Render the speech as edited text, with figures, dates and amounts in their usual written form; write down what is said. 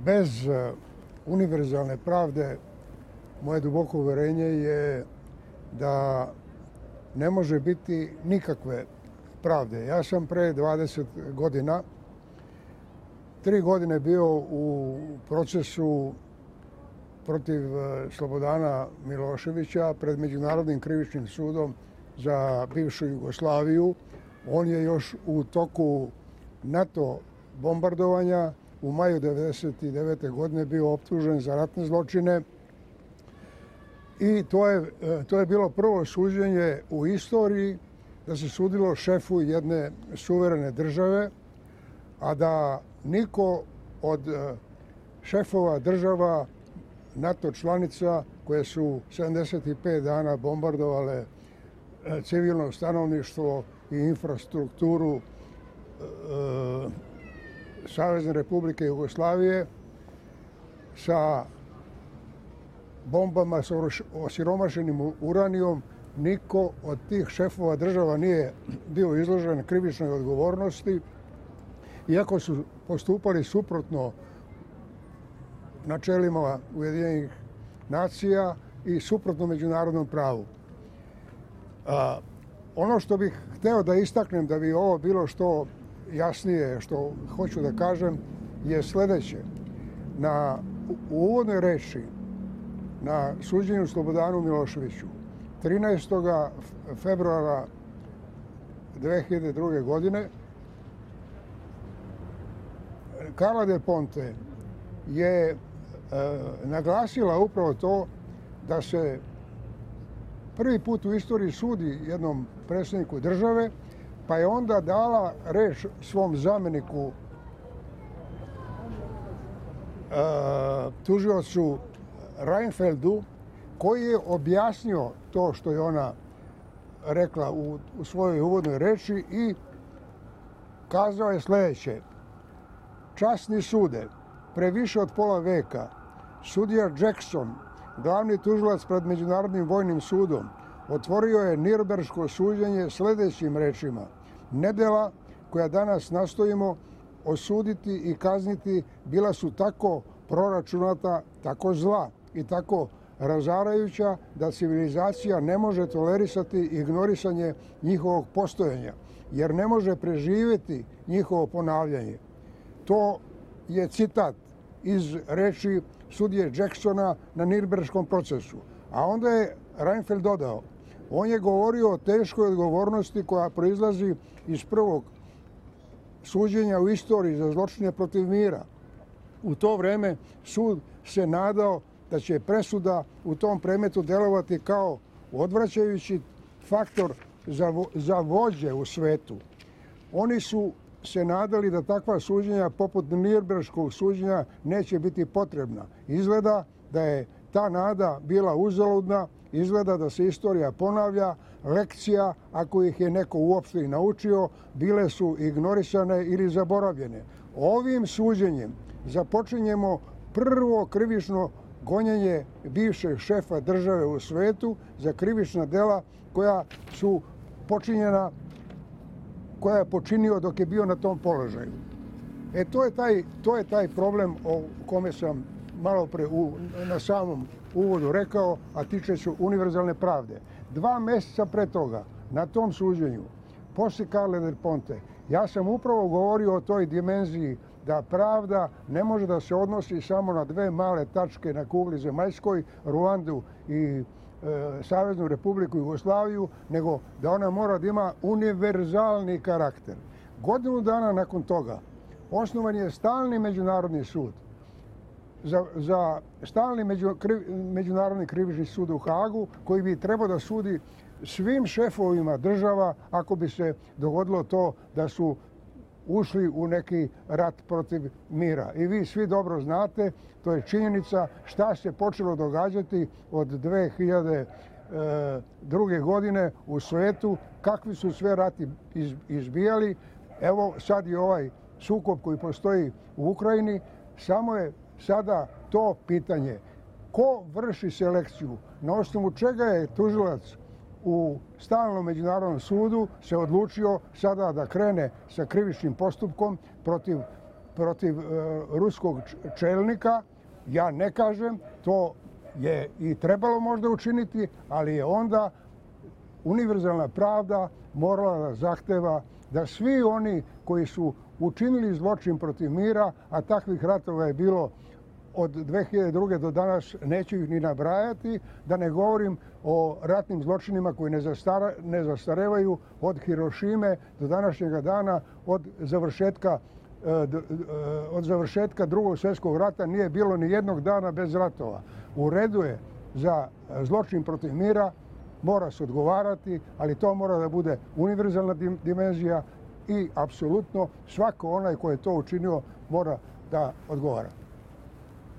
Bez univerzalne pravde, moje duboko uverenje je da ne može biti nikakve pravde. Ja sam pre 20 godina, 3 godine bio u procesu protiv Slobodana Miloševića pred Međunarodnim krivičnim sudom za bivšu Jugoslaviju. On je još u toku NATO bombardovanja u maju 1999. godine bio optužen za ratne zločine i to je bilo prvo suđenje u istoriji da se sudilo šefu jedne suverene države, a da niko od šefova država NATO članica koje su 75 dana bombardovale civilno stanovništvo i infrastrukturu Savezne Republike Jugoslavije sa bombama sa osiromašenim uranijom, niko od tih šefova država nije bio izložen krivičnoj odgovornosti, iako su postupali suprotno načelima Ujedinjenih nacija i suprotno međunarodnom pravu. Ono što bih hteo da istaknem da bi ovo bilo što jasnije, što hoću da kažem, je sledeće. U uvodnoj reči na suđenju Slobodanu Miloševiću 13. februara 2002. godine Carla Del Ponte je naglasila upravo to da se prvi put u istoriji sudi jednom predsjedniku države, pa je onda dala reč svom zameniku tužiocu Reinfeldu, koji je objasnio to što je ona rekla u svojoj uvodnoj reči i kazao je sledeće. Časni sude, pre više od pola veka, sudija Jackson, glavni tužilac pred Međunarodnim vojnim sudom, otvorio je Nirnberško suđenje sledećim rečima. Nedela koja danas nastojimo osuditi i kazniti bila su tako proračunata, tako zla i tako razarajuća da civilizacija ne može tolerisati ignorisanje njihovog postojanja, jer ne može preživjeti njihovo ponavljanje. To je citat iz reči sudije Jacksona na Nirnberškom procesu. A onda je Reinfeld dodao, on je govorio o teškoj odgovornosti koja proizlazi iz prvog suđenja u istoriji za zločine protiv mira. U to vreme sud se nadao da će presuda u tom predmetu delovati kao odvraćajući faktor za vođe u svetu. Oni su se nadali da takva suđenja poput Nirnberškog suđenja neće biti potrebna. Izgleda da je ta nada bila uzaludna, izgleda da se istorija ponavlja, lekcija, ako ih je neko uopšte i naučio, bile su ignorisane ili zaboravljene. Ovim suđenjem započinjemo prvo krivično gonjenje bivšeg šefa države u svetu za krivična dela koja su počinjena, koja je počinio dok je bio na tom položaju. To je taj problem o kome sam malo pre na samom uvodu rekao, a tiče se univerzalne pravde. 2 meseca pre toga, na tom suđenju, posle Carle Del Ponte, ja sam upravo govorio o toj dimenziji da pravda ne može da se odnosi samo na 2 male tačke na kugli zemaljskoj, Ruandu i Saveznu Republiku Jugoslaviju, nego da ona mora da ima univerzalni karakter. Godinu dana nakon toga osnovan je stalni međunarodni sud za stalni međunarodni krivični sud u Hagu, koji bi trebao da sudi svim šefovima država ako bi se dogodilo to da su ušli u neki rat protiv mira. I vi svi dobro znate, to je činjenica šta se počelo događati od 2002. godine u svetu, kakvi su sve rati izbijali. Evo sad je ovaj sukob koji postoji u Ukrajini, samo je sada to pitanje. Ko vrši selekciju? Na osnovu čega je tužilac u stalnom međunarodnom sudu se odlučio sada da krene sa krivičnim postupkom protiv protiv ruskog čelnika. Ja ne kažem, to je i trebalo možda učiniti, ali je onda univerzalna pravda morala da zahteva da svi oni koji su učinili zločin protiv mira, a takvih ratova je bilo od 2002. do danas, neću ih ni nabrajati, da ne govorim o ratnim zločinima koji ne zastarevaju od Hirošime do današnjega dana, od završetka Drugog svjetskog rata nije bilo ni jednog dana bez ratova. U redu je za zločin protiv mira, mora se odgovarati, ali to mora da bude univerzalna dimenzija i apsolutno svako onaj ko je to učinio mora da odgovara.